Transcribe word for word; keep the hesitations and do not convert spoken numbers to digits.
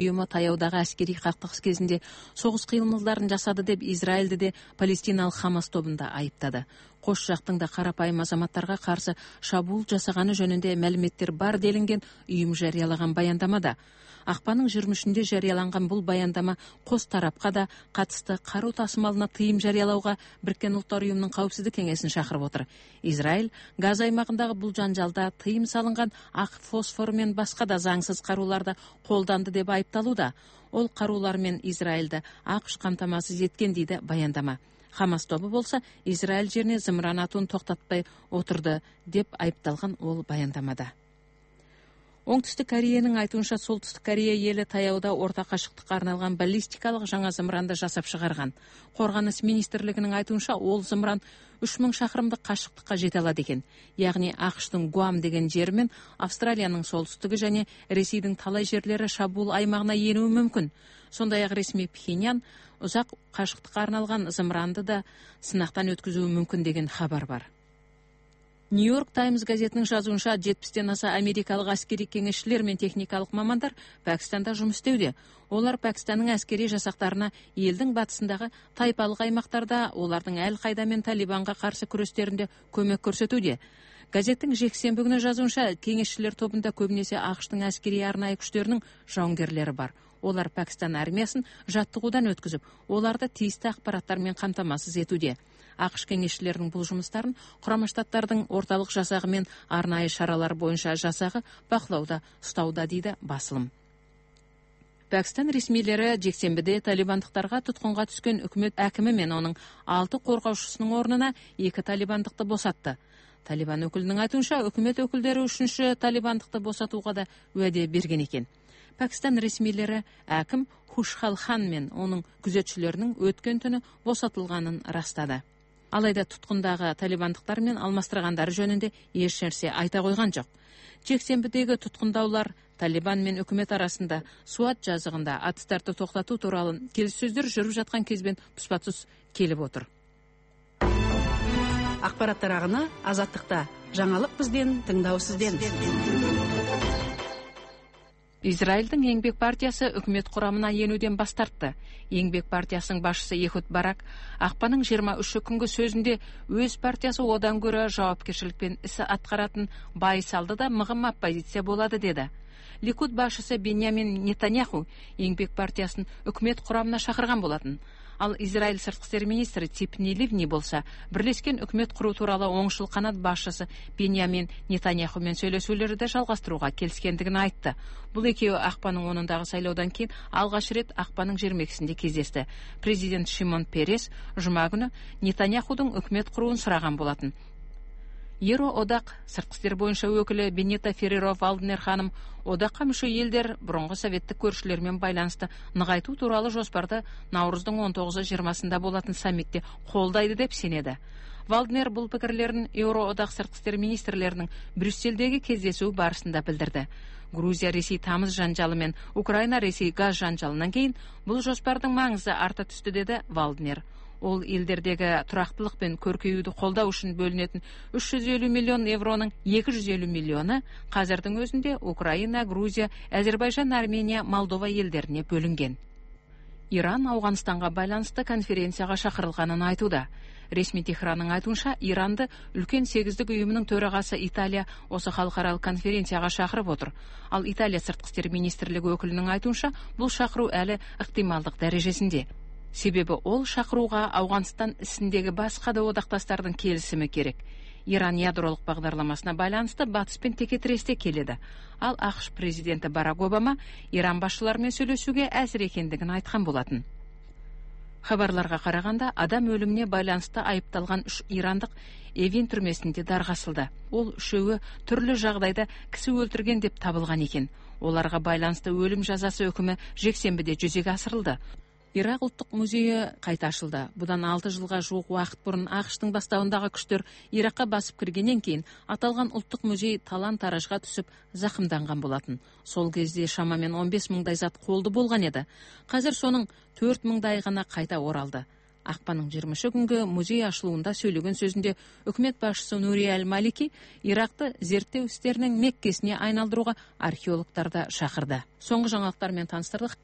уюму таяудагы аскерий кактыгыс кезинде согуш кыймылдарын жасады деп Израилди де палестиналык Хамас тобун да айыптады. Кош жактың да карапайым азаматтарга каршы шабуул жасаганы жөнүндө маалыметтер бар делинген уюм жарыялаган баяндамада. Акпандын жыйырма үчүндө жарыяланган бул баяндама кос тарапка да катысты каруу тасымалына тыйым жарыялауга Бириккен Улуттар уюмунун Коопсуздук кеңесин чакырып отур. Израиль Газа аймагындагы бул жанжалда тыйым салынган ак фосфор менен башка да заңсыз карууларды колданды деп айыпталууда. Ол каруулар менен Израилди АКШ камтамасыз эткен дейди баяндама. Хамас тобу болсо Израиль жерине зымыран атуун токтотпой отурду деп айыпталган ол баяндамада. Оңтүстүк Кореянын айтуунча Солтүстүк Корея эли таяуда орто кашыктыкка арналган баллистикалык жаңа зымыранды жасап чыгарган. Коргонуш министрлигинин айтуунча ол зымыран үч миң шакырымдык кашыктыкка жете алат экен. Ягни АКШтын Гуам деген жери менен Австралиянын солтүстүгү жана Ресейдин талай жерлери шабуул аймагына энүү мүмкүн. Сондай-ак ресми Пхеньян узак кашыктыкка арналган зымыранды да сынактан өткүзүү мүмкүн деген хабар бар. Нью-Йорк Таймс газетинин жазуунча жетимден аса америкалык аскерий кеңешчилер менен техникалык мамандар Пакистанда жумуш истеуде. Олар Пакистандын аскерий жасактарына элдин батысындагы тайпалык аймактарда олардын Ал Кайда менен Талибанга каршы күрөштөрүндө көмөк көрсөтүүдө. Газеттин жексенби күнү жазуунча кеңешчилер тобунда көбүнесе АКШтын аскерий арнайы күчтөрүнүн жауынгерлери бар. Олар Пакистан армиясын жаттыгуудан өткүзүп, оларды тийиштүү акпараттар менен камтамасыз этүүдө. АКШ кеңешчилеринин бул жумуштарын Курама Штаттардын орталык жасагы менен арнайы шаралар боюнча жасагы бакылауда ұстауда дейди басылым. Пакистан ресмилери жексенбиде талибандыктарга туткунга түскөн өкмөт акими менен анын алты коргоочусунун орнуна эки талибандыкты босатты. Талибан өкүлүнүн айтуунча өкмөт өкүлдөрү үчүнчү талибандыкты босатууга да уаде берген экен. Пакистан ресмилери аким Хушхал Хан менен анын күзөтчүлөрүнүн өткөн түнү босотулганын ырастады. Алайда туткундагы талибандыктар менен алмаштыргандары жөнүндө эч нерсе айта койгон жок. Жексенбидеги туткундаулар Талибан менен өкмөт арасында Суат жазыгында атыстарды токтотуу тууралуу келиссөздөр жүрүп жаткан кезбен туспа-туз келип отур. Акпараттар агыны Азаттыкта. Жаңылык бизден, тыңдоо сизден. Израилдин Еңбек партиясы өкмөт курамына энүүдөн баш тартты. Еңбек партиясынын башчысы Эхуд Барак акпанын жыйырма үчү күнгө сөзүндө өз партиясы одан көрө жоопкерчиликпен ис аткаратын бай салды да мыгым оппозиция болду деди. Ликуд башчысы Беньямин Нетаньяху Еңбек партиясын өкмөт курамына чакырган болатын. Ал Израиль сырткы иштер министри Ципни Ливни болсо Бирлешкен өкмөт куруу тууралуу оңшул канат башчысы Беньямин Нетаньяху менен сүйлөшүүлөрдү жалгастырууга келишкендигин айтты. Бул экөө акпанын онундагы шайлоодон кийин алгач ирет акпанын жыйырма экисинде кездешти. Президент Шимон Перес жума күнү Нетаньяхудун өкмөт курууун сураган болатын. Еро одак сырткы иштер боюнча өкүлү Бенета Ферреро Валднер ханым одакка мүчө элдер мурунку советтик көрүшүлөр менен байланышты ныгайтуу тууралуу жоспарды Навруздун он тогузу жыйырмасында болатын саммитте колдойду деп сенеди. Валднер бул пикирлерин Еуро одак сырткы иштер министрлеринин Брюссельдеги кездесүү барысында билдирди. Грузия Ресей тамыз жанжалы менен Украина Ресей газ жанжалынан кийин бул жоспардын маңызы арта түстү деди Валднер. Ол элдердеги турактылык менен көркөйүүдү колдоо үчүн бөлүнөтүн үч жүз элүү миллион евронун эки жүз элүү миллиону казырдын өзүндө Украина, Грузия, Азербайжан, Армения, Молдова элдерине бөлүнген. Иран Ауганстанга байланыштуу конференцияга чакырылганын айтууда. Ресми Техранын айтуунча, Иранды үлкен сегиздик уюмунун төрагасы Италия осы халыкаралык конференцияга чакырып отур. Ал Италия сырткы иштер министрлиги өкүлүнүн айтуунча, бул чакыруу әлі ыктымалдык дәрежесинде. Себеби ол чакырууга Ауганстан исиндеги башка да одакташтардын келисими керек. Иран ядролук багдарламасына байланыштуу батыспен текетиресте келеді. Ал АКШ президенти Барак Обама Иран башчылары менен сүйлөшүүгө азыр экендигин айткан болатын. Хабарларга караганда, адам өлүмүнө байланыштуу айыпталган үч ирандык Эвин түрмөсүндө даргасылды. Ол үшөөгө түрлүү жагдайда киши өлтүргөн деп табылган экен. Оларга байланыштуу өлүм жазасы өкүмү жексенбиде жүзөгө асырылды. Ирак улуттук музейи кайта ачылды. Будан алты жылга жуук убакыт мурун АКШтын баштабындагы күчтөр Иракка басып киргенден кийин аталган улуттук музей талан-таражга түшүп закымданган болатын. Сол кезде шамамен он беш миңдай зат колду болгон эди. Казыр сонун төрт миңдай гана кайта оралды. акпандын жыйырмасы күнгү музей ачылуунда сөйлөгөн сөзүндө өкмөт башчысы Нури Аль-Малики Иракты зерттөө иштеринин Меккесине айналдырууга археологдорду шакырды. Соңку жаңылыктар менен таныстырдык.